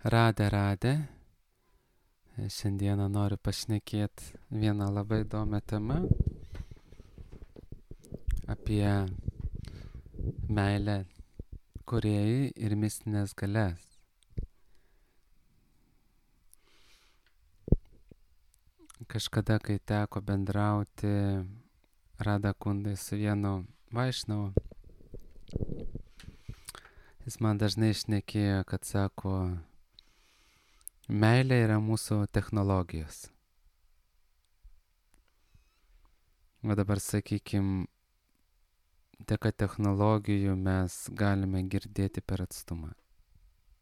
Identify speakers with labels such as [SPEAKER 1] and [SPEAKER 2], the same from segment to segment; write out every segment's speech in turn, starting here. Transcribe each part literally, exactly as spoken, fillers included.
[SPEAKER 1] Radė, radė. Šiandieną noriu pašnekėti vieną labai įdomią temą apie meilę kūrėjai ir mistinės galias. Kažkada, kai teko bendrauti Radha Kundai su vienu vaišnavu, jis man dažnai šnekėjo, kad sako, meilė yra mūsų technologijos. O dabar, sakykim, dėka technologijų mes galime girdėti per atstumą.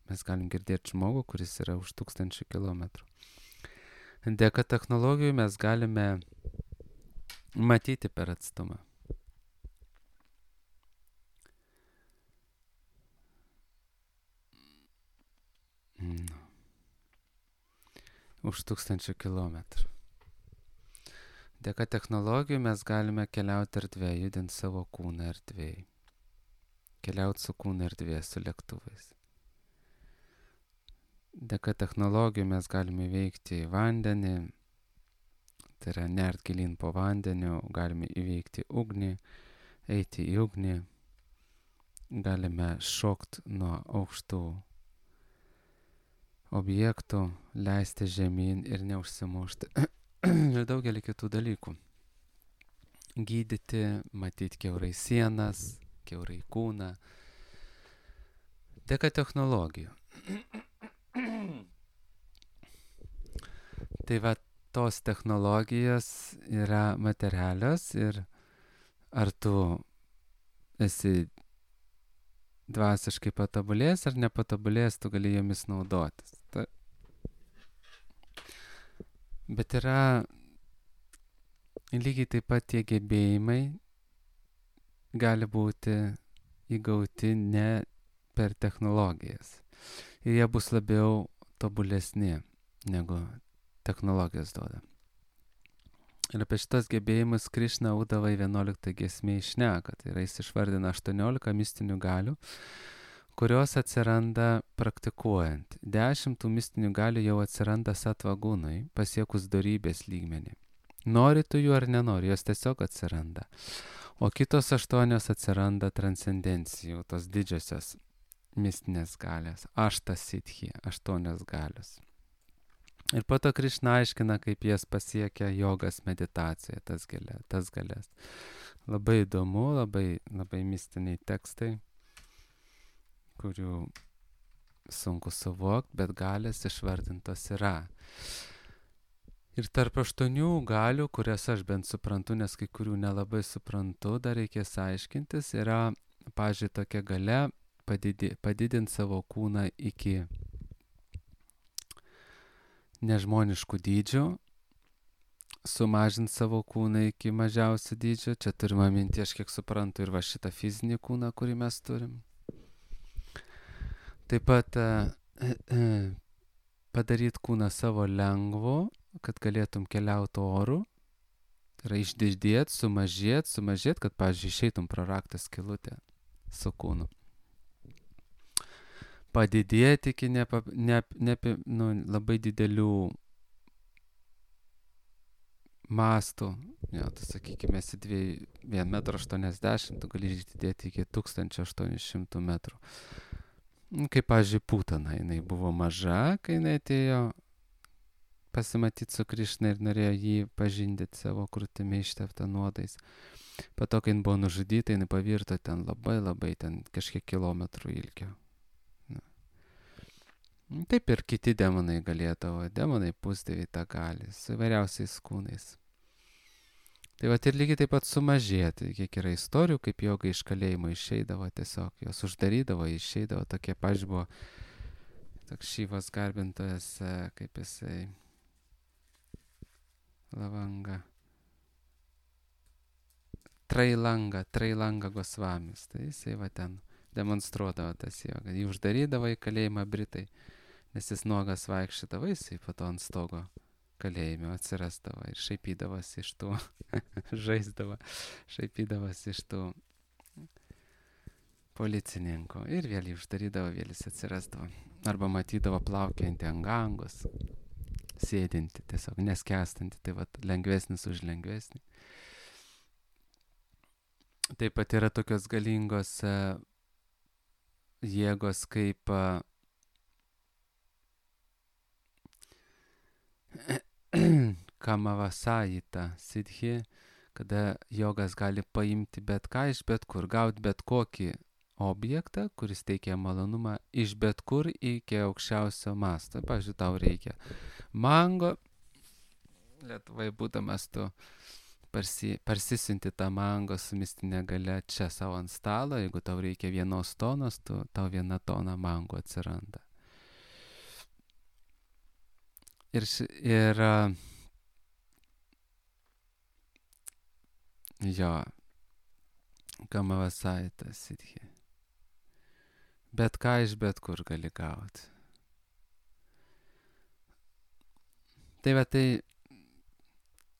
[SPEAKER 1] Mes galim girdėti žmogų, kuris yra už tūkstančių kilometrų. Dėka technologijų mes galime matyti per atstumą. No. Už tūkstančių kilometrų. Dėka technologijų mes galime keliauti erdvėje, judinti savo kūną erdvėje. Keliauti su kūno erdvėje, su lėktuvais. Dėka technologijų mes galime įveikti vandenį, tai yra nert gilin po vandeniu, galime įveikti ugnį, eiti į ugnį, galime šokti nuo aukštų objektų, leisti žemyn ir neužsimušti. Ir daugelį kitų dalykų. Gydyti, matyti kiaurai sienas, kiaurai kūną. Dėka technologijų. Tai va, tos technologijos yra materialios ir ar tu esi dvasiškai patobulėjęs ar nepatobulėjęs, tu gali jomis naudotis. Ta... Bet yra lygiai taip pat tie gebėjimai gali būti įgauti ne per technologijas. Ir jie bus labiau tobulesni negu technologijos duoda. Ir apie šitos gebėjimus Krišna Udavai vienuoliktą giesmėje šneka. Tai yra jis išvardina aštuoniolika mistinių galių, kurios atsiranda praktikuojant. Dešimt tų mistinių galių jau atsiranda satvagūnui, pasiekus dorybės lygmenį. Nori tu jų ar nenori, jos tiesiog atsiranda. O kitos aštuonios atsiranda transcendencijų, tos didžiosios mistinės galės. Aštas siddhi, aštuonios galios. Ir po to Krišna aiškina, kaip jas pasiekia jogas meditacija, tas galės. Tas galės. Labai įdomu, labai, labai mistiniai tekstai, kurių sunku suvokti, bet galės išvardintos yra. Ir tarp aštuonių galių, kurias aš bent suprantu, nes kai kurių nelabai suprantu, dar reikės aiškintis, yra, pavyzdžiui, tokia galia padidi, padidinti savo kūną iki nežmoniškų dydžių, sumažinti savo kūną iki mažiausių dydžių. Čia turime minti, aš kiek suprantu, ir va šitą fizinį kūną, kurį mes turim. Taip pat padaryti kūną savo lengvu, kad galėtum keliauti oru. Tai yra išdidėti, sumažėti, sumažėti, kad, pavyzdžiui, išeitum pro raktą skylutę su kūnu. Padidėti iki nepa, ne, ne, nu, labai didelių mastų. Jo, tu sakykime, esi vienas metras aštuoniasdešimt, tu gali išdidėti iki tūkstančio aštuonių šimtų metrų. Kaip, pavyzdžiui, Putana, jinai buvo maža, kai jinai atėjo pasimatyti su Krišna ir norėjo jį pažindyti savo krūtimi išteptą nuodais. Po to, kai jin buvo nužudyta, jinai pavirto ten labai labai ten kažkiek kilometrų ilgio. Taip ir kiti demonai galėdavo, demonai pusdieviai tą gali, su įvairiausiais kūnais. Tai va ir lygiai taip pat sumažėti, kiek yra istorijų, kaip joga iš kalėjimo išeidavo tiesiog, jos uždarydavo, išeidavo, tokie, pavyzdžiui, buvo toks Šyvos garbintojas, kaip jisai, Lavanga, Trailanga, Trailanga Gosvamis, tai jisai va ten demonstruodavo tas jogą, jį uždarydavo į kalėjimą Britai. Nes jis nuogas vaikščiodavo, jisai po to ant stogo kalėjime atsirasdavo ir šaipydavosi iš tų, žaisdavo, šaipydavosi iš tų policininkų ir vėl jį uždarydavo, vėl jis atsirasdavo. arba matydavo plaukiantį ant gangos, sėdinti, tiesiog neskęstanti, tai vat lengvesnis už lengvesnį. Taip pat yra tokios galingos uh, jėgos kaip uh, kamavasajita siddhi, kada jogas gali paimti bet ką iš bet kur, gauti bet kokį objektą, kuris teikia malonumą iš bet kur iki aukščiausio masto. Pavyzdžiui, tau reikia mango, Lietuvai būdamas tu parsi, parsisinti tą mango su mistinė galia čia savo ant stalo, jeigu tau reikia vienos tonos, tu, tau viena tona mango atsiranda. Ir, ir jo, kamavasajita siddhi. Bet ką iš bet kur gali gauti. Tai va, tai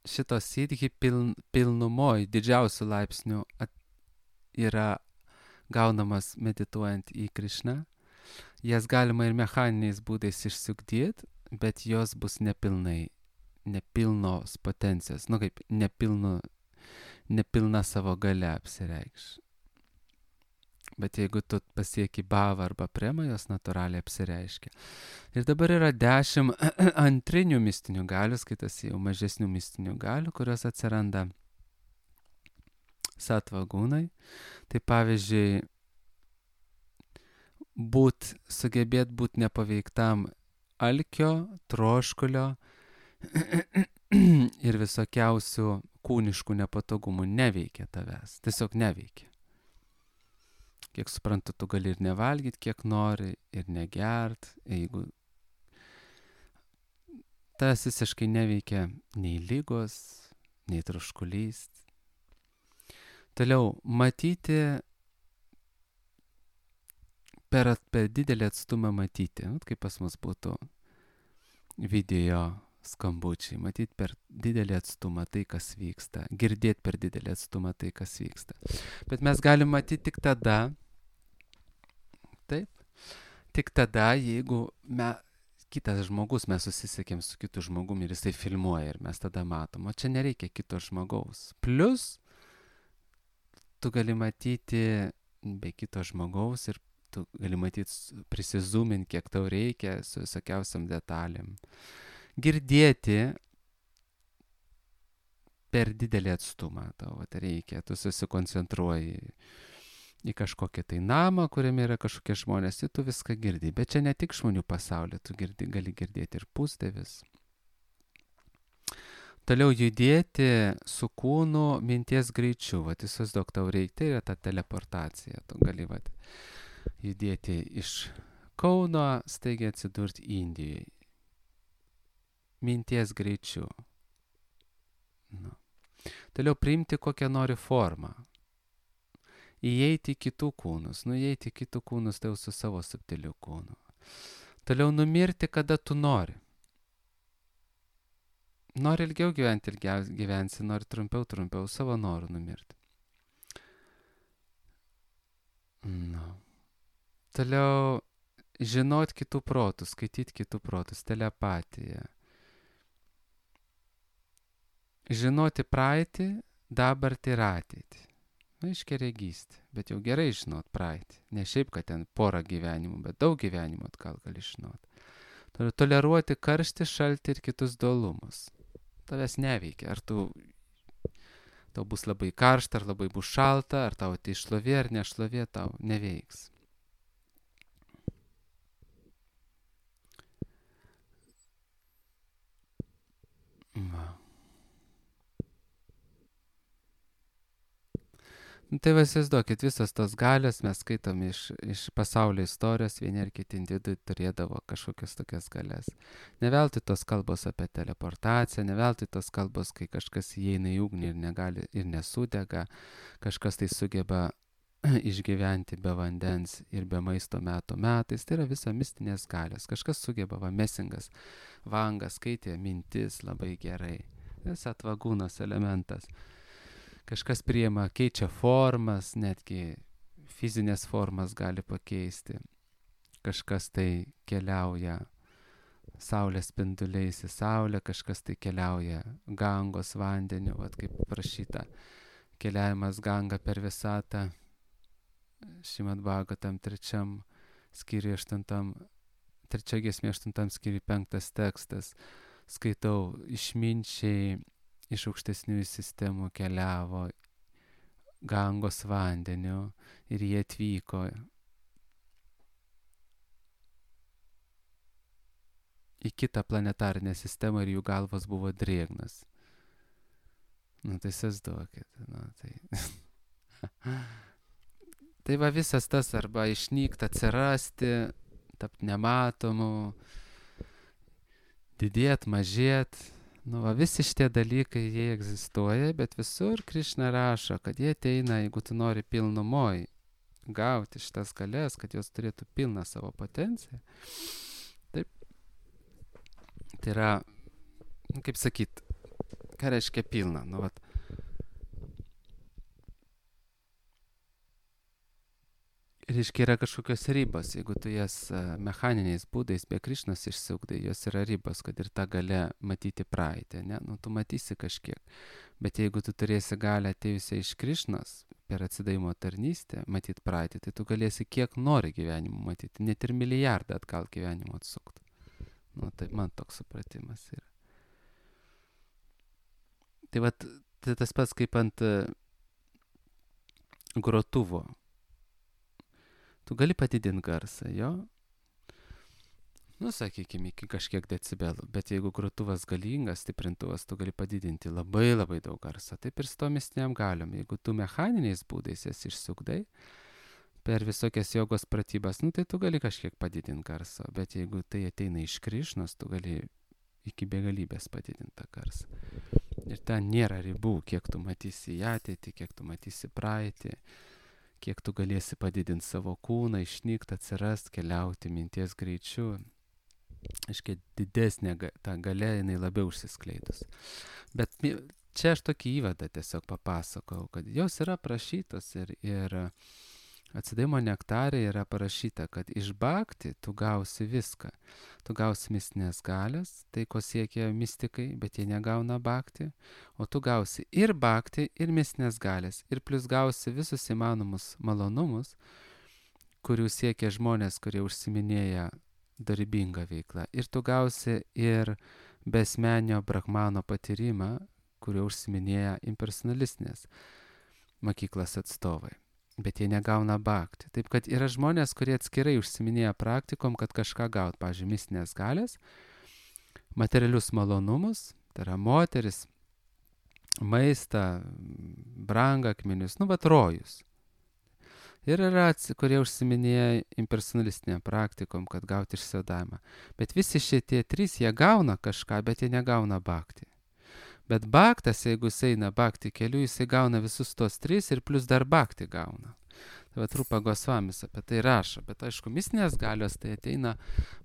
[SPEAKER 1] šitos siddhi piln, pilnumoj didžiausių laipsnių at, yra gaunamas medituojant į Krišną. Jas galima ir mechaniniais būdais išsiugdyti, bet jos bus nepilnai, nepilnos potencijos, nu kaip nepilnu, nepilna savo galia apsireikš. Bet jeigu tu pasieki bhavą arba premą, jos natūraliai apsireiškia. Ir dabar yra dešimt antrinių mistinių galių, skaitasi jau mažesnių mistinių galių, kurios atsiranda satvagūnai. Tai pavyzdžiui, būt, sugebėt būti nepaveiktam alkio, troškulio ir visokiausių kūniškų nepatogumų neveikia tavęs. Tiesiog neveikia. Kiek suprantu, tu gali ir nevalgyti, kiek nori, ir negert. Jeigu tas visiškai neveikia nei lygos, nei troškulys. Toliau, matyti per, per didelį atstumą matyti. Kaip pas mus būtų video skambučiai. Matyti per didelį atstumą tai, kas vyksta. Girdėti per didelį atstumą tai, kas vyksta. Bet mes galim matyti tik tada, taip, tik tada, jeigu me, kitas žmogus, mes susisiekėm su kitu žmogumi ir jisai filmuoja ir mes tada matom. O čia nereikia kito žmogaus. Plus, tu gali matyti be kito žmogaus ir tu gali matyti, prisizūminti, kiek tau reikia su visokiausiam detalėm. Girdėti per didelį atstumą tau reikia, tu susikoncentruoji į kažkokią tai namą, kuriame yra kažkokie žmonės, ir tu viską girdi. Bet čia ne tik žmonių pasaulyje, tu girdi, gali girdėti ir pusdievis. Toliau judėti su kūnu minties greičiu. Vat įsivaizduok, tau reikia, tai yra ta teleportacija. Tu gali vat, judėti iš Kauno, staigiai atsidurti Indijoje. Minties greičiu. Nu. Toliau priimti kokią nori formą. Įeiti į kitų kūnus. Nu, įeiti į kitų kūnus, tai jau su savo subtiliu kūnu. Toliau numirti, kada tu nori. Nori ilgiau gyventi, ilgiau gyvensi, nori trumpiau, trumpiau, savo norų numirti. Nu. Toliau žinot kitų protus, skaityti kitų protus, telepatija. Žinoti praeitį, dabartį ir ateitį. Na, iškeregystė, bet jau gerai žinot praeitį. Ne šiaip, kad ten porą gyvenimų, bet daug gyvenimų atgal gali žinot. Toliau toleruoti karštį, šaltį ir kitus dualumus. Tavęs neveikia. Ar tu, tau bus labai karšta, ar labai bus šalta, ar tau tai šlovė, ar nešlovė, tau neveiks. Va. Nu, tai įsivaizduokit, visas tos galios mes skaitom iš, iš pasaulio istorijos, vieni ar kiti individai turėdavo kažkokias tokias galias. Ne veltui tos kalbos apie teleportaciją, ne veltui tos kalbos, kai kažkas įeina į ugnį ir negali ir nesudega, kažkas tai sugeba išgyventi be vandens ir be maisto metų metais. Tai yra visa mistinės galios. Kažkas sugeba, va, Mesingas, Vangas skaitė mintis labai gerai. Tas atvagūnos elementas. Kažkas priima, keičia formas, netgi fizinės formas gali pakeisti. kažkas tai keliauja saulės spinduliais į saulę, kažkas tai keliauja Gangos vandeniu, vat kaip prašyta, keliavimas Ganga per visatą, Šrimad Bhagavatam trečiam skyriui aštuntam, trečia giesmė aštuntam skyriui penktas tekstas. Skaitau, išminčiai iš aukštesniųjų sistemų keliavo Gangos vandeniu ir jie atvyko į kitą planetarinę sistemą ir jų galvos buvo drėgnas. Nu tai įsivaizduokit, nu tai. Tai va visas tas arba išnykt, atsirasti, tapt nematomu, didėt, mažėt. Nu va visi šitie dalykai, jie egzistuoja, bet visur Krišna rašo, kad jie ateina, jeigu tu nori pilnumoj gauti šitas galės, kad jos turėtų pilną savo potenciją. Taip. Tai yra, kaip sakyt, ką reiškia pilna? Nu, vat. Reiškia, yra kažkokios ribos, jeigu tu jas mechaniniais būdais be Krišnos išsiugdai, jos yra ribos, kad ir ta galia matyti praeitį, ne? Nu, tu matysi kažkiek. Bet jeigu tu turėsi galę atėjusią iš Krišnos per atsidavimo tarnystę matyti praeitį, tai tu galėsi kiek nori gyvenimo matyti, net ir milijardą atgal gyvenimo atsukti. Nu, tai man toks supratimas yra. Tai vat, tai tas pats kaip ant grotuvo. Tu gali padidinti garsą, jo? Nu, sakykime, iki kažkiek decibelų, bet jeigu grotuvas galingas, stiprintuvas, tu gali padidinti labai labai daug garsą. Taip ir su to mistiniam galiom. Jeigu tu mechaniniais būdais jas išsiugdai, per visokias jogos pratybas, nu tai tu gali kažkiek padidinti garsą, bet jeigu tai ateina iš Krišnos, tu gali iki begalybės padidinti tą garsą. Ir ten nėra ribų, kiek tu matysi į ateitį, kiek tu matysi praeitį, kiek tu galėsi padidinti savo kūną, išnykti, atsirast, keliauti minties greičiu. Aiškiai, didesnė ta galia, jinai labiau užsiskleidus. Bet čia aš tokį įvadą tiesiog papasakau, kad jos yra prašytos ir, ir atsidavimo nektare yra parašyta, kad iš bhakti tu gausi viską. Tu gausi mistinės galias, tai ko siekia mistikai, bet jie negauna bhakti, o tu gausi ir bhakti, ir mistinės galės, ir plus gausi visus įmanomus malonumus, kurių siekia žmonės, kurie užsiminėja darybingą veiklą. Ir tu gausi ir besmenio brahmano patyrimą, kurio užsiminėja impersonalistinės mokyklos atstovai. Bet jie negauna bhakti. Taip, kad yra žmonės, kurie atskirai užsiminėja praktikom, kad kažką gaut, pavyzdžiui, mistinės galės, materialius malonumus, tai yra moteris, maistą, brangakmenius, nu, bet rojus. Ir yra, kurie užsiminėja impersonalistinėm praktikom, kad gauti išsiadavimą. Bet visi šitie trys, jie gauna kažką, bet jie negauna bhakti. Bet bhaktas, jeigu jis eina bhakti keliu, jisai gauna visus tos tris ir plus dar bhakti gauna. Tai va Rupa Gosvamis apie tai rašo. Bet aišku, mistinės galios tai ateina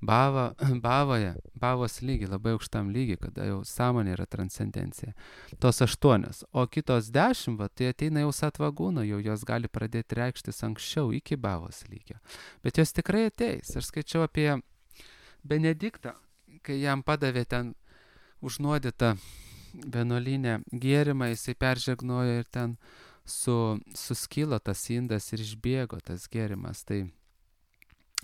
[SPEAKER 1] bhava, bhavoje, bhavos lygi, labai aukštam lygi, kada jau sąmonė yra transcendencija. Tos aštuonios. O kitos dešimt, va, tai ateina jau satvagūno, jau jos gali pradėti reikštis anksčiau iki bhavos lygio. Bet jos tikrai ateis. Aš skaičiau apie Benediktą, kai jam padavė ten užnuodytą vienuolinę gėrimą, jisai peržegnojo ir ten su, suskilo tas indas ir išbėgo tas gėrimas. Tai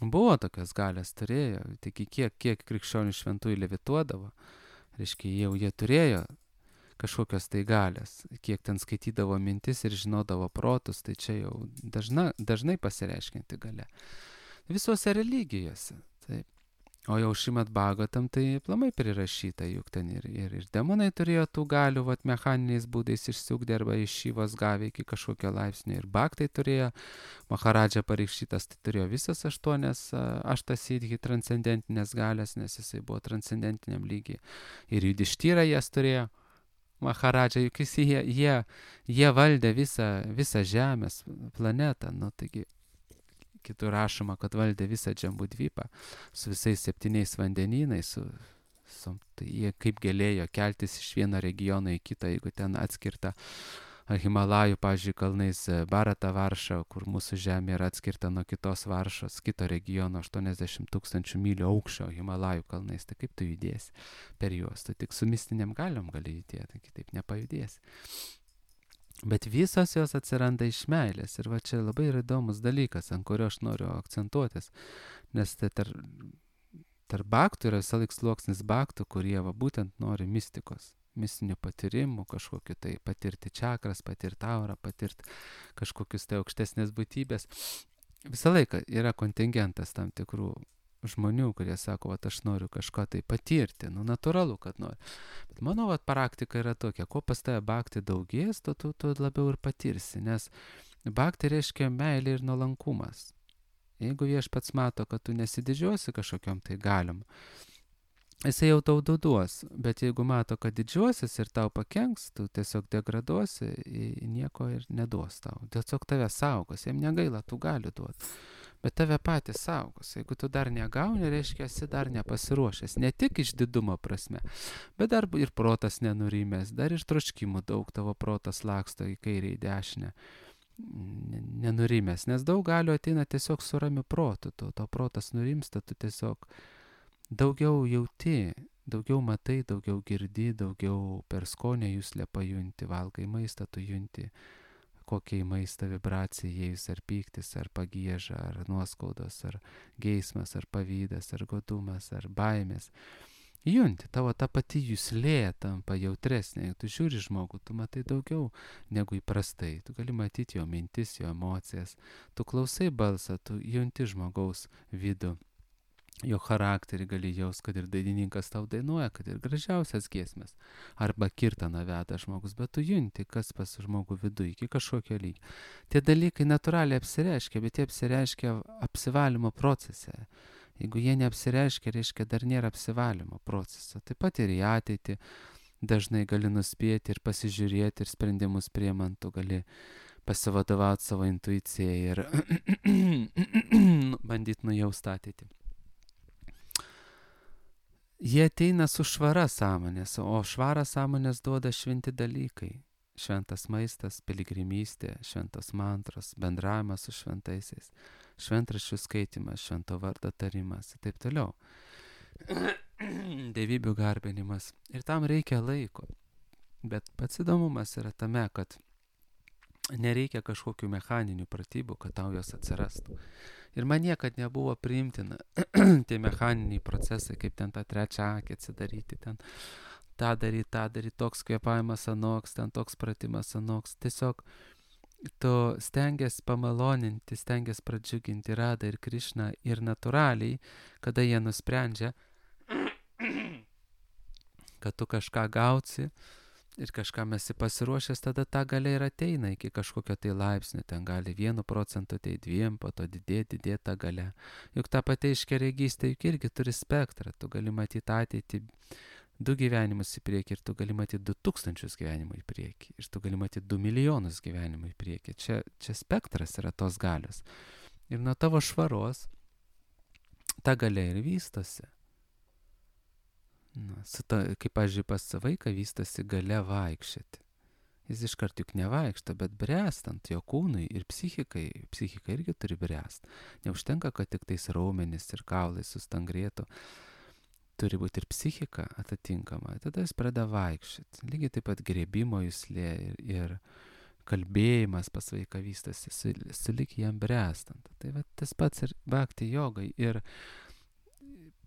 [SPEAKER 1] buvo tokios galės, turėjo, tik kiek, kiek krikščionių šventųjų levituodavo, reiškia, jau jie turėjo kažkokios tai galės, kiek ten skaitydavo mintis ir žinodavo protus, tai čia jau dažna, dažnai pasireiškianti galia. Visuose religijose, taip. O jau Šrimad Bhagavatam tai aplamai prirašyta, juk ten ir, ir, ir demonai turėjo tų galių, vat, mechaniniais būdais išsiugdė arba iš šyvos gavė iki kažkokio laipsnio. Ir bhaktai turėjo, Maharadža pareikštytas, tai turėjo visas aštuonias aštasidhi transcendentinės galės, nes jisai buvo transcendentiniam lygiai. Ir Judištyra jas turėjo, Maharadža, juk jis, jie, jie, jie valdė visą, visą žemės planetą, nu taigi. Kitur rašoma, kad valdė visą Džambudvypą su visais septyniais vandenynais, su, su, tai jie kaip galėjo keltis iš vieno regiono į kitą, jeigu ten atskirta Himalajų, pavyzdžiui, kalnais Barata varša, kur mūsų žemė yra atskirta nuo kitos varšos, kito regiono aštuoniasdešimt tūkstančių mylių aukščio Himalajų kalnais. Tai kaip tu judėsi per juos? Tu tik su mistiniam galiom gali judėti, kitaip nepajudėsi. Bet visos jos atsiranda iš meilės. Ir va čia labai yra įdomus dalykas, ant kurio aš noriu akcentuotis. Nes tai tarp, tarp baktų yra visą laik sluoksnis baktų, kurie va būtent nori mistikos. Mistinių patyrimų, kažkokiu tai patirti čakras, patirti aurą, patirti kažkokius tai aukštesnės būtybės. Visą laiką yra kontingentas tam tikrų žmonių, kurie sako, vat aš noriu kažko tai patirti, nu natūralu, kad noriu. Bet mano vat praktika yra tokia, kuo pas tave bhakti daugės, tu, tu, tu labiau ir patirsi, nes bhakti reiškia meilė ir nuolankumas. Jeigu viešpats mato, kad tu nesididžiuosi kažkokiom tai galiom, jisai jau tau duos, bet jeigu mato, kad didžiuosis ir tau pakenks, tu tiesiog degraduosi, nieko ir neduos tau. Tiesiog tave saugos, jam negaila, tu gali duoti. Bet tave patys saugos. Jeigu tu dar negauni, reiškia, esi dar nepasiruošęs. Ne tik iš didumo prasme, bet dar ir protas nenurimęs, dar ir troškimų daug, tavo protas laksto į kairę, į dešinę. Nenurimęs, nes daug galių ateina tiesiog su ramiu protu. Tu, to protas nurimsta, tu tiesiog daugiau jauti, daugiau matai, daugiau girdi, daugiau per skonę juslę pajunti, valgai maistą, tu junti kokia į maistą vibracija įėjus, ar pyktis, ar pagieža, ar nuoskaudos, ar geismas, ar pavydas, ar godumas, ar baimės. Junti, tavo ta pati juslė tampa jautresnė. Tu žiūri žmogų, tu matai daugiau negu įprastai. Tu gali matyti jo mintis, jo emocijas. Tu klausai balsą, tu junti žmogaus vidų. Jo charakterį gali jaus, kad ir dainininkas tau dainuoja, kad ir gražiausias giesmės. Arba kirtaną veda žmogus, bet tu junti, kas pas žmogų vidų iki kažkokio lygio. Tie dalykai natūraliai apsireiškia, bet jie apsireiškia apsivalymo procese. Jeigu jie neapsireiškia, reiškia dar nėra apsivalymo proceso. Taip pat ir į ateitį dažnai gali nuspėti ir pasižiūrėti ir sprendimus priimant, tu gali pasivadovauti savo intuicijai ir bandyti nujausti ateitį. Jie ateina su švara sąmonės, o švarą sąmonės duoda šventi dalykai. Šventas maistas, piligrimystė, šventos mantros, bendravimas su šventaisiais, šventraščių skaitimas, švento vardo tarimas ir taip toliau. Dievybių garbinimas. Ir tam reikia laiko. Bet pats įdomumas yra tame, kad nereikia kažkokių mechaninių pratybų, kad tau jos atsirastų. Ir man niekad nebuvo priimtina tie mechaniniai procesai, kaip ten tą trečią akį atsidaryti, ten tą daryti, tą daryti, toks kvėpavimas anoks, ten toks pratimas anoks. Tiesiog tu stengiasi pamaloninti, stengiasi pradžiuginti Radą ir Krišną ir natūraliai, kada jie nusprendžia, kad tu kažką gausi, ir kažkam esi pasiruošęs, tada ta galia ir ateina iki kažkokio tai laipsnio, ten gali vienu procentu, tai dviem, po to didėti, didėti ta galia. Juk ta pati aiškiaregystė juk irgi turi spektrą, tu gali matyti ateitį du gyvenimus į priekį ir tu gali matyti du tūkstančius gyvenimų į priekį ir tu gali matyti du milijonus gyvenimų į priekį. Čia, čia spektras yra tos galios. Ir nuo tavo švaros ta galia ir vystosi. Na, su ta, kaip, pavyzdžiui, pas vaiką vystosi galia vaikščioti. Jis iškart juk nevaikšto, bet bręstant jo kūnui ir psichikai, psichika irgi turi bręst. Neužtenka, kad tik tais raumenis ir kaulai sustangrėtų. Turi būti ir psichika atitinkama. Tada jis pradeda vaikščioti. Lygiai taip pat grėbimo juslė ir, ir kalbėjimas pas vaiką vystosi, su, sulik jam bręstant. Tai va, tas pats ir bhakti jogai. Ir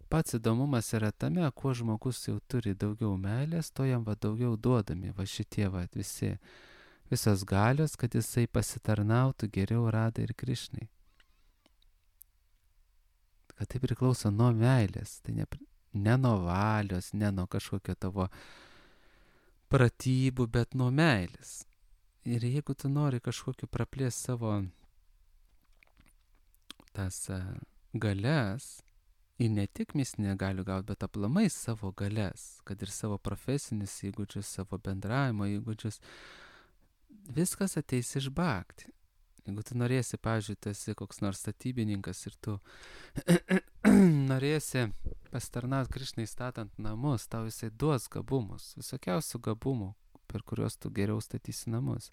[SPEAKER 1] pats įdomumas yra tame, kuo žmogus jau turi daugiau meilės, to jam va daugiau duodami, va šitie va visi, visos galios, kad jisai pasitarnautų geriau Radai ir Krišnai. Kad tai priklauso nuo meilės, tai ne, ne nuo valios, ne nuo kažkokio tavo pratybų, bet nuo meilės. Ir jeigu tu nori kažkokiu praplės savo tas uh, galias, ir ne tik mistinę galių gauti, bet aplamai savo galias, kad ir savo profesinius įgūdžius, savo bendravimo įgūdžius, viskas ateis iš bhakti. Jeigu tu norėsi, pavyzdžiui, tu esi koks nors statybininkas ir tu norėsi pastarnauti Krišnai statant namus, tau jisai duos gabumus, visokiausių gabumų, per kuriuos tu geriau statysi namus.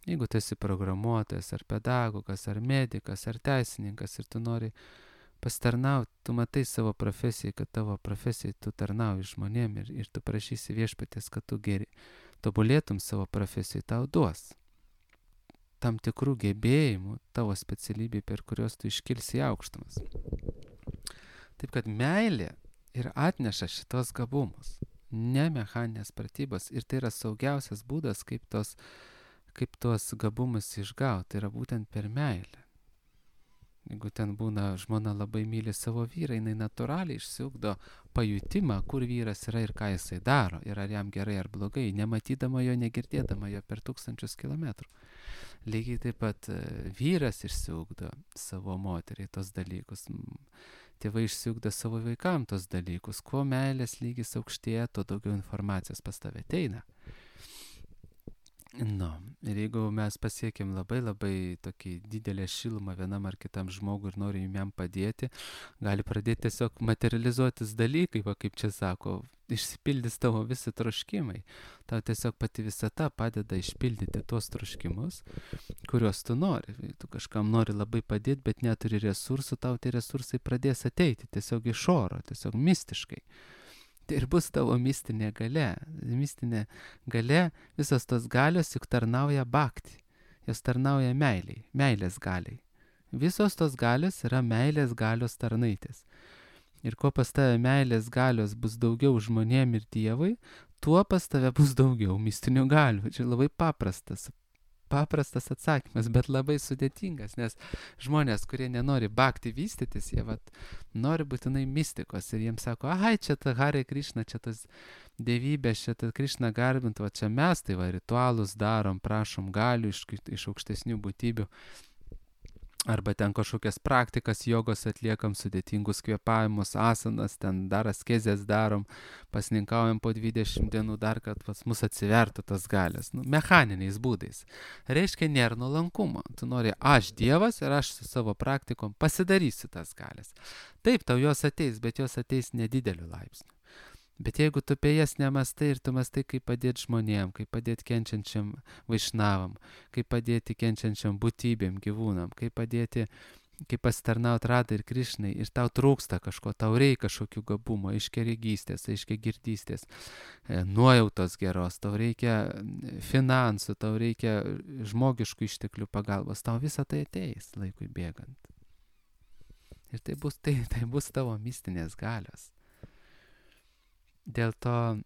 [SPEAKER 1] Jeigu tu esi programuotojas, ar pedagogas, ar medikas, ar teisininkas ir tu nori pasitarnauti, tu matai savo profesijai, kad tavo profesijai tu tarnauji žmonėm ir, ir tu prašysi viešpaties, kad tu geri tobulėtum savo profesijai, tau duos tam tikrų gebėjimų tavo specialybė, per kurios tu iškilsi į aukštumas. Taip kad meilė ir atneša šitos gabumus, ne mechaninės pratybos, ir tai yra saugiausias būdas, kaip tos, kaip tos gabumus išgauti, tai yra būtent per meilę. Jeigu ten būna žmona labai myli savo vyrą, jinai natūraliai išsiugdo pajutimą, kur vyras yra ir ką jisai daro, ir ar jam gerai ar blogai, nematydama jo, negirdėdama jo per tūkstančius kilometrų. Lygiai taip pat vyras išsiugdo savo moteriai tos dalykus, tėvai išsiugdo savo vaikam tos dalykus. Kuo meilės lygis aukštėja, tuo daugiau informacijos pas tave ateina. Nu, ir jeigu mes pasiekėm labai labai tokį didelę šilumą vienam ar kitam žmogui ir norim jam padėti, gali pradėti tiesiog materializuotis dalykai, va kaip čia sako, išsipildys tavo visi troškimai. Tau tiesiog pati visata padeda išpildyti tuos troškimus, kuriuos tu nori. Tu kažkam nori labai padėti, bet neturi resursų, tau tie resursai pradės ateiti tiesiog iš oro, tiesiog mistiškai. Tai ir bus tavo mistinė galia. Mistinė galia, visos tos galios juk tarnauja bhakti. Jos tarnauja meiliai, meilės galiai. Visos tos galios yra meilės galios tarnaitės. Ir kuo pas tave meilės galios bus daugiau žmonėm ir Dievui, tuo pas tave bus daugiau mistinių galių. Čia labai paprastas, paprastas atsakymas, bet labai sudėtingas, nes žmonės, kurie nenori bhakti vystytis, jie vat, nori būtinai mistikos ir jiems sako, ahai, čia ta Hare Krishna, čia tas dievybės, čia ta Krishna garbint, va čia mes tai va ritualus darom, prašom galių iš, iš aukštesnių būtybių. Arba ten kažkokias praktikas jogos atliekam, sudėtingus kvėpavimus, asanas, ten dar askezės darom, pasninkaujam po dvidešimt dienų dar, kad pas mus atsivertų tas galias. Nu, mechaniniais būdais. Reiškia, nėra nuolankumo. Tu nori, aš Dievas ir aš su savo praktikom pasidarysiu tas galias. Taip, tau jos ateis, bet jos ateis nedideliu laipsniu. Bet jeigu tu apie jas nemastai ir tu mastai, kaip padėti žmonėm, kaip padėti kenčiančiam vaišnavam, kaip padėti kenčiančiam būtybėm, gyvūnam, kaip padėti, kaip pasitarnauti Radai ir Krišnai, ir tau trūksta kažko, tau reikia kažkokių gabumo, aiškiaregystės, aiškiagirdystės, nuojautos geros, tau reikia finansų, tau reikia žmogiškų išteklių pagalbos, tau visą tai ateis laikui bėgant. Ir tai bus, tai, tai bus tavo mistinės galios. Dėl to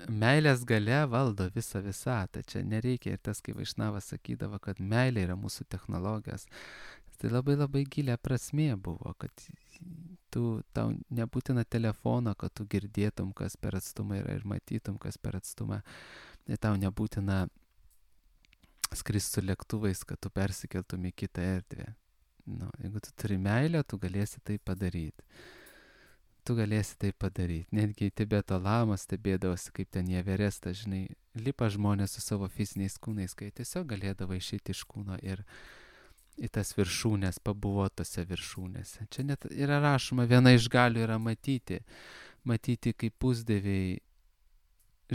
[SPEAKER 1] meilės galia valdo visą visatą. Čia nereikia ir tas, kai Vaišnavas sakydavo, kad meilė yra mūsų technologijos. Tai labai labai gilia prasmė buvo, kad tu, tau nebūtina telefono, kad tu girdėtum, kas per atstumą yra ir matytum, kas per atstumą. Ir tau nebūtina skristi su lėktuvais, kad tu persikeltum į kitą erdvę. Nu, jeigu tu turi meilę, tu galėsi tai padaryti. Tu galėsi tai padaryti. Netgi Tibeto lamas stebėdavosi, kaip ten į Everestą, žinai, lipa žmonės su savo fiziniais kūnais, kai tiesiog galėdavo išeiti iš kūno ir į tas viršūnės, pabuvo tose viršūnėse. Čia net yra rašoma, viena iš galių yra matyti, matyti, kaip pusdieviai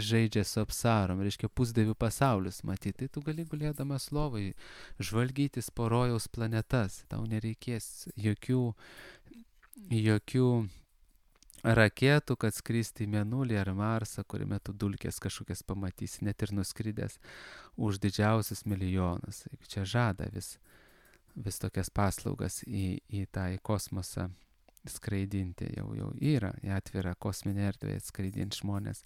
[SPEAKER 1] žaidžia su apsarom, reiškia pusdievių pasaulius matyti. Tai tu gali gulėdamas lovai žvalgytis po rojaus planetas, tau nereikės jokių, jokių raketų, kad skristi į Mėnulį ar Marsą, kuriame tu dulkės kažkokias pamatysi, net ir nuskridęs už didžiausius milijonus. Čia žada vis, vis tokias paslaugas į, į tą į kosmosą skraidinti, jau, jau yra, į atvirą kosminę erdvę skraidinti žmonės.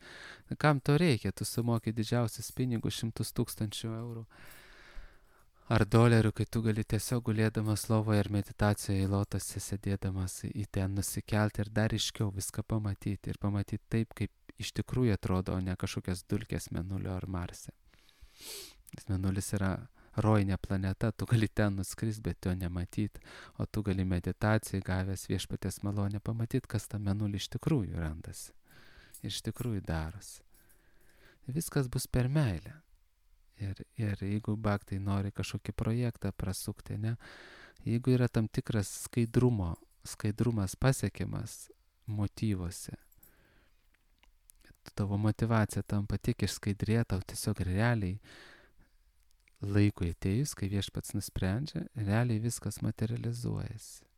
[SPEAKER 1] Kam to reikia? Tu sumoki didžiausius pinigus, šimtus tūkstančių eurų ar dolerių, kai tu gali tiesiog gulėdamas lovoje ir meditacijoje į lotose sėdėdamas į ten nusikelti ir dar iškiau viską pamatyti ir pamatyti taip, kaip iš tikrųjų atrodo, o ne kažkokias dulkės Mėnulio ar Marse. Nes Mėnulis yra rojinė planeta, tu gali ten nuskristi, bet jo nematyti, o tu gali meditacijai gavęs viešpaties malonę pamatyti, kas tą Mėnulį iš tikrųjų randasi ir iš tikrųjų darosi. Viskas bus per meilę. Ir, ir jeigu bhaktai nori kažkokį projektą prasukti, ne, jeigu yra tam tikras skaidrumo, skaidrumas pasiekiamas motyvuose, tavo motyvacija tampa tiek išskaidrėta, tau tiesiog realiai laikui atėjus, kai viešpats nusprendžia, realiai viskas materializuojasi.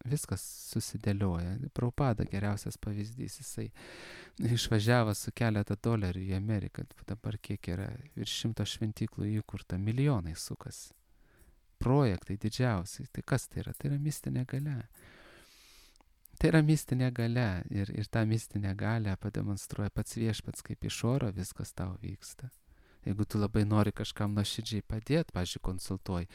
[SPEAKER 1] Viskas susidėlioja. Prabhupada geriausias pavyzdys, jisai išvažiavo su keletą dolerių į Ameriką, dabar kiek yra, virš šimto šventyklų įkurta, milijonai sukas. Projektai didžiausiai. Tai kas tai yra? Tai yra mistinė galia. Tai yra mistinė galia ir, ir tą mistinę galią pademonstruoja pats viešpats, kaip iš oro viskas tau vyksta. Jeigu tu labai nori kažkam nuoširdžiai padėti, pavyzdžiui, konsultuoji,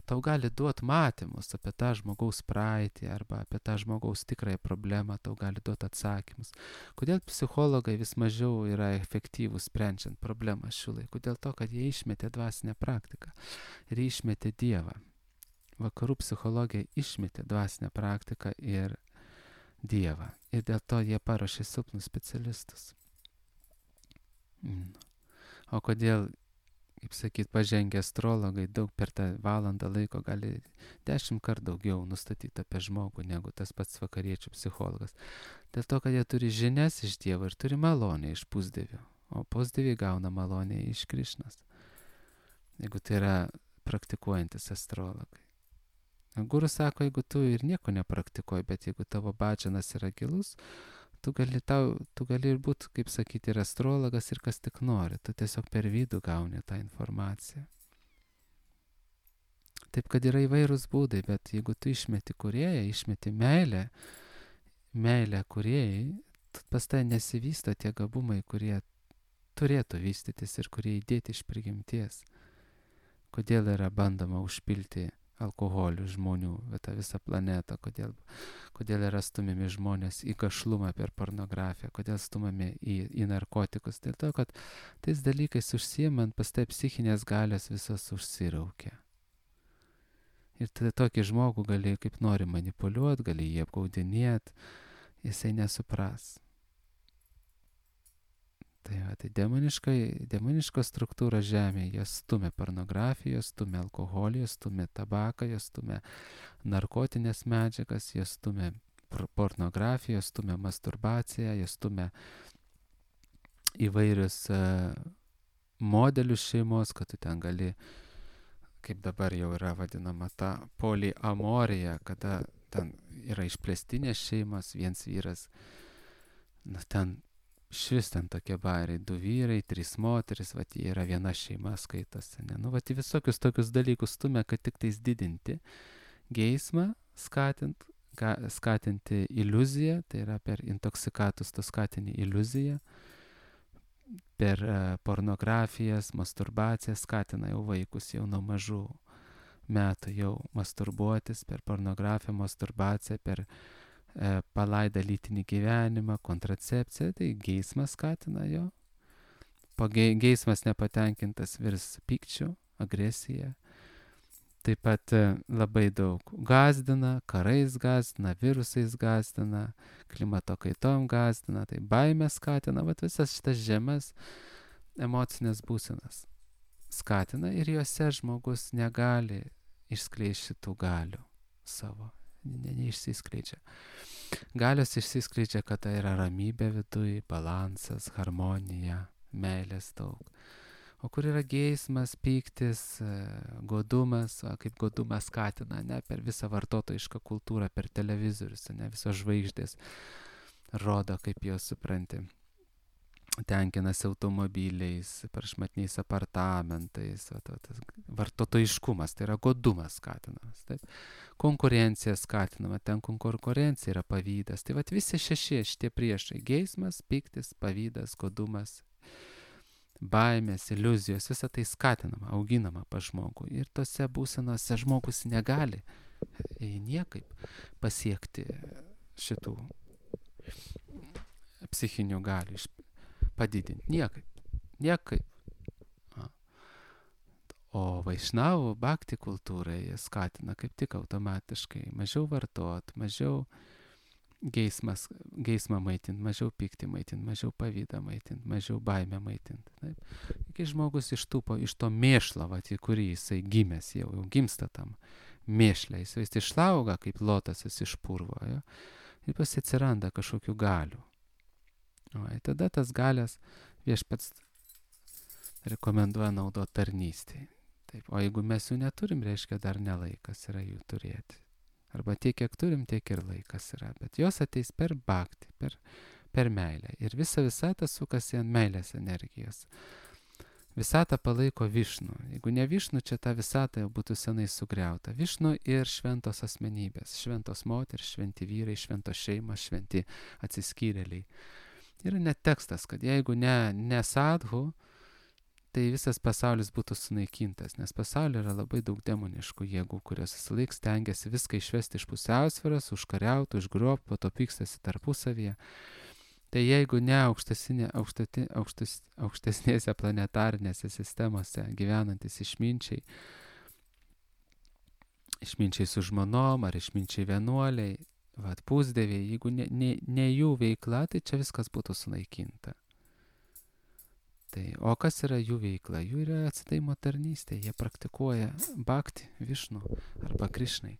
[SPEAKER 1] tau gali duoti matymus apie tą žmogaus praeitį arba apie tą žmogaus tikrąją problemą, tau gali duoti atsakymus. Kodėl psichologai vis mažiau yra efektyvūs sprendžiant problemą šių laikų? Dėl to, kad jie išmetė dvasinę praktiką ir išmetė Dievą. Vakarų psichologija išmetė dvasinę praktiką ir Dievą. Ir dėl to jie paruošė silpnus specialistus. Mm. O kodėl, kaip sakyt, pažengę astrologai daug per tą valandą laiko gali dešimt kart daugiau nustatyti apie žmogų negu tas pats vakariečių psichologas. Dėl to, kad jie turi žinias iš Dievo ir turi malonę iš pusdievių, o pusdieviai gauna malonę iš Krišnos. Jeigu tai yra praktikuojantis astrologai. Guru sako, jeigu tu ir nieko nepraktikuoji, bet jeigu tavo badžanas yra gilus, Tu gali, tau, tu gali ir būti, kaip sakyti, ir astrologas, ir kas tik nori. Tu tiesiog per vidų gauni tą informaciją. Taip, kad yra įvairūs būdai, bet jeigu tu išmeti kūrėją, išmeti meilę, meilę kūrėjai, pas tai nesivysto tie gabumai, kurie turėtų vystytis ir kurie įdėti iš prigimties. Kodėl yra bandoma užpilti alkoholių žmonių, tą visą planetą, kodėl, kodėl yra stumiami žmonės į gašlumą per pornografiją, kodėl stumami į, į narkotikus. Dėl to, kad tais dalykais užsiimant, pas tai psichinės galios visos užsiraukia. Ir tada tokį žmogų gali kaip nori manipuliuoti, gali jį apgaudinėti, jisai nesupras. Tai, va, tai demoniška, demoniška struktūra žemėje, jos stumia pornografiją, jos stumia alkoholį, jos stumia tabaką, jos stumia narkotinės medžiagas, jos stumia pornografiją, jos stumia masturbaciją, jos stumia įvairius uh, modelius šeimos, kad tu ten gali, kaip dabar jau yra vadinama, ta poliamorija, kada ten yra išplėstinės šeimos, viens vyras, nu ten švis ten tokie bairiai, du vyrai, trys moteris, vat jie yra viena šeima skaitosi, ne? Nu, vat į visokius tokius dalykus stumia, kad tik tais didinti geismą, skatint, ga, skatinti iliuziją, tai yra per intoksikatus tu skatini iliuziją, per uh, pornografijas, masturbacijas skatina jau vaikus jau nuo mažų metų jau masturbuotis, per pornografiją, masturbaciją, per palaidą lytinį gyvenimą, kontracepciją, tai geismas skatina jo. Po geismas nepatenkintas virs pykčiu, agresija. Taip pat labai daug gazdina, karais gazdina, virusais gazdina, klimato kaitom gazdina, tai baimę skatina, vat visas šitas žemas emocinės būsenas skatina ir juose žmogus negali išskleisti šitų galių savo. Ne, neišsiskleidžia. Galios išsiskleidžia, kad tai yra ramybė viduje, balansas, harmonija, meilės daug. O kur yra geismas, pyktis, godumas, o kaip godumas skatina, ne, per visą vartotojišką kultūrą, per televizorius, ne, visos žvaigždės rodo, kaip jos supranti. Tenkinasi automobiliais, prašmatniais apartamentais, o to, tas vartotojiškumas, tai yra godumas skatinamas, taip. Konkurencija skatinama, ten konkurencija yra pavydas, tai vat visi šeši šitie priešai, geismas, pyktis, pavydas, godumas, baimės, iliuzijos, visa tai skatinama, auginama pa žmogų ir tose būsenose žmogus negali niekaip pasiekti šitų psichinių galių padidinti. Niekaip. Niekaip. A. O vaišnavų bhakti kultūrai skatina kaip tik automatiškai mažiau vartot, mažiau geismas, geismą maitint, mažiau pyktį maitint, mažiau pavydą maitint, mažiau baimę maitint. Taip. Kai žmogus ištūpo iš to mėšlo, vat, į kurį jisai gimęs, jau, jau gimsta tam mėšle, jis vis išlauga kaip lotasas iš purvo, jo, ir pas atsiranda kažkokių galių. O tada tas galias viešpats rekomenduoja naudoti tarnystėje. Taip, o jeigu mes jų neturim, reiškia dar nelaikas yra jų turėti. Arba tiek, kiek turim, tiek ir laikas yra. Bet jos ateis per bhaktį, per, per meilę. Ir visa visata sukasi ant meilės energijos. Visata palaiko Višnu. Jeigu ne Višnu, čia ta visata jau būtų senai sugriauta. Višnu ir šventos asmenybės. Šventos moteris, šventi vyrai, šventos šeimos, šventi atsiskyrėliai. Yra net tekstas, kad jeigu ne, ne sadhu, tai visas pasaulis būtų sunaikintas, nes pasaulyje yra labai daug demoniškų jėgų, kurios visą laiką stengiasi viską išvesti iš pusiausvyros, užkariauti, užgrobti, po to pykstasi tarpusavyje. Tai jeigu ne aukštesinė, aukštati, aukštes, aukštesnėse planetarinėse sistemose gyvenantis išminčiai, išminčiai su žmonom ar išminčiai vienuoliai, vat pusdieviai, jeigu ne, ne, ne jų veikla, tai čia viskas būtų sunaikinta. Tai, o kas yra jų veikla? Jų yra atsidavimo tarnystė, jie praktikuoja bhaktį, Višnu arba Krišnai.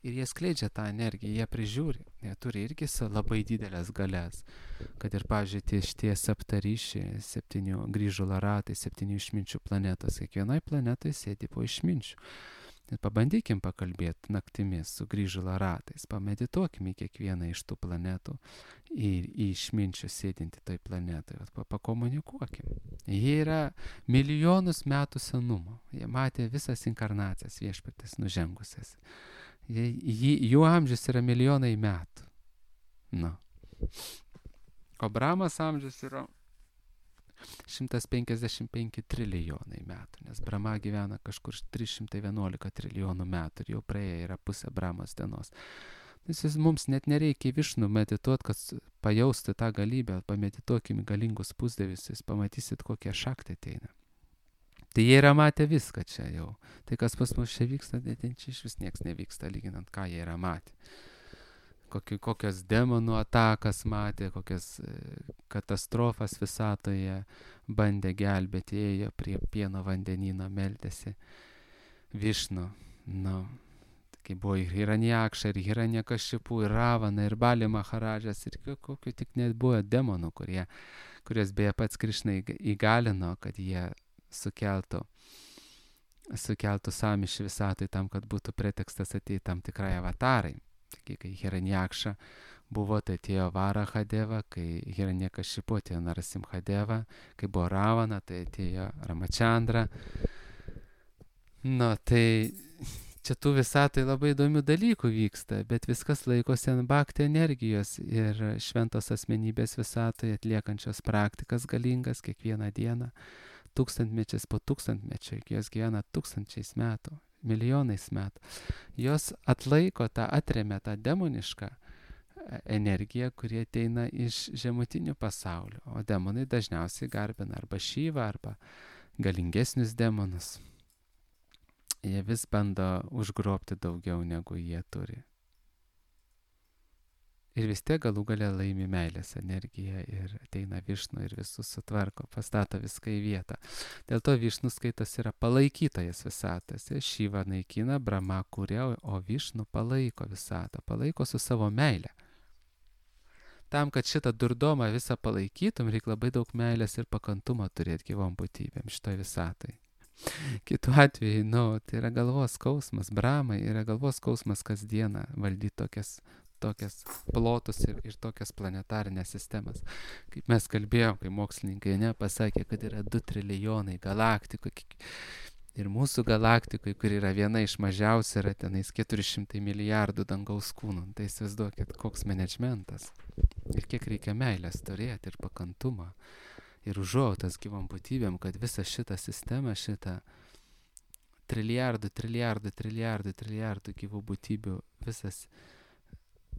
[SPEAKER 1] Ir jie skleidžia tą energiją, jie prižiūri, jie turi irgi labai didelės galias. Kad ir, pavyzdžiui, šitie septaryšiai, septynių grįžulo ratai, septynių išminčių planetos, kiekvienai planetai sėdi po išminčių. Ir pabandykim pakalbėti naktimis su grįžulo ratais, pamedituokim į kiekvieną iš tų planetų ir į išminčių sėdinti toj planetai, pakomunikuokim. Jie yra milijonus metų senumo, jie matė visas inkarnacijas viešpatės nužengusias. Jie, jį, jų amžius yra milijonai metų. Nu. O Brahmas amžius yra šimtas penkiasdešimt penki trilijonai metų, nes Brahma gyvena kažkur trys šimtai vienuolika trilijonų metų ir jau praėję yra pusė Brahmos dienos. Nes mums net nereikia Višnu medituoti, kad pajausti tą galybę, pamedituokim galingus pusdievius, jūs pamatysit, kokie šaktai ateina. Tai jie yra matę viską čia jau. Tai kas pas mus čia vyksta, tai čia iš vis nieks nevyksta, lyginant, ką jie yra matę. Koki, kokios demonų atakas matė, kokias katastrofas visatoje bandė gelbėti, ėjo prie pieno vandenyno, meldėsi Višnu. Nu, kai buvo ir Hiranjakša, ir Hiranyakashipu, ir Ravana, ir Bali Maharadžas, ir kokiu tik net buvo demonų, kurie, kurias beje pats Krišna įgalino, kad jie sukeltų, sukeltų sąmyšį visatoj tam, kad būtų pretekstas ateiti tam tikrai avatarai. Taigi, kai Hiranjakša buvo, tai atėjo Varahadeva, kai Hiranyakashipu atėjo Narasimhadeva, kai buvo Ravana, tai atėjo Ramachandra. Nu, tai čia tų visatai labai įdomių dalykų vyksta, bet viskas laikosi ant bhakti energijos ir šventos asmenybės visatoje atliekančios praktikas galingas kiekvieną dieną, tūkstantmečiais po tūkstantmečio, iki jos gyvena tūkstančiais metų. Milijonais metų. Jos atlaiko tą, atremia tą demonišką energiją, kurie ateina iš žemutinių pasaulių. O demonai dažniausiai garbina arba Šyvą, arba galingesnius demonus. Jie vis bando užgrobti daugiau, negu jie turi. Ir vis tiek galų galia laimi meilės energiją ir ateina Višnu ir visus sutvarko, pastato viską į vietą. Dėl to Višnu skaitas yra palaikytojas visatas. Šyva naikina, Brahma kuria, o Višnu palaiko visatą, palaiko su savo meile. Tam, kad šitą durdomą visą palaikytum, reikia labai daug meilės ir pakantumo turėti gyvom būtybėm šitoj visatai. Kitu atveju, nu, tai yra galvos skausmas. Brahmai yra galvos skausmas kasdieną valdyti tokias tokias plotus ir, ir tokias planetarinės sistemas. Kaip mes kalbėjom, kai mokslininkai ne, pasakė, kad yra du trilijonai galaktikų. Ir mūsų galaktikoje, kur yra viena iš mažiausių, yra tenais keturi šimtai milijardų dangaus kūnų. Tai įsivaizduokit, koks managementas. Ir kiek reikia meilės turėti ir pakantumą. Ir užuojautos gyvom būtybėm, kad visą šitą sistemą, šitą trilijardų, trilijardų, trilijardų, trilijardų gyvų būtybių visas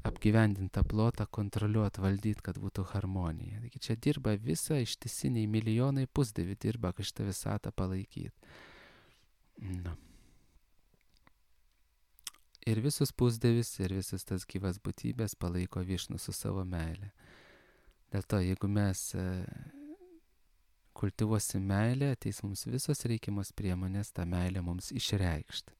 [SPEAKER 1] apgyvendintą plotą kontroliuoti, valdyti, kad būtų harmonija. Taigi čia dirba visa ištisiniai milijonai pusdievių dirba, kad šitą visatą palaikyti. Nu. Ir visus pusdievis ir visas tas gyvas būtybės palaiko Višnu su savo meile. Dėl to, jeigu mes e, kultivuosim meilę, ateis mums visos reikiamos priemonės tą meilę mums išreikšti.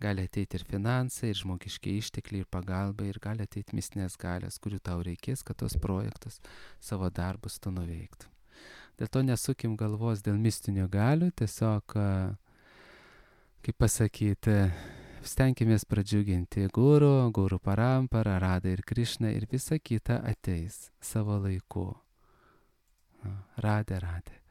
[SPEAKER 1] gali ateiti ir finansai, ir žmogiškiai ištekliai, ir pagalba, ir gali ateiti mistinės galios, kurių tau reikės, kad tos projektus, savo darbus tu nuveiktum. Dėl to nesukim galvos dėl mistinių galių, tiesiog, kaip pasakyti, stenkimės pradžiuginti guru, guru parampara, Radha ir Krišna ir visa kita ateis savo laiku. Radhe, Radhe.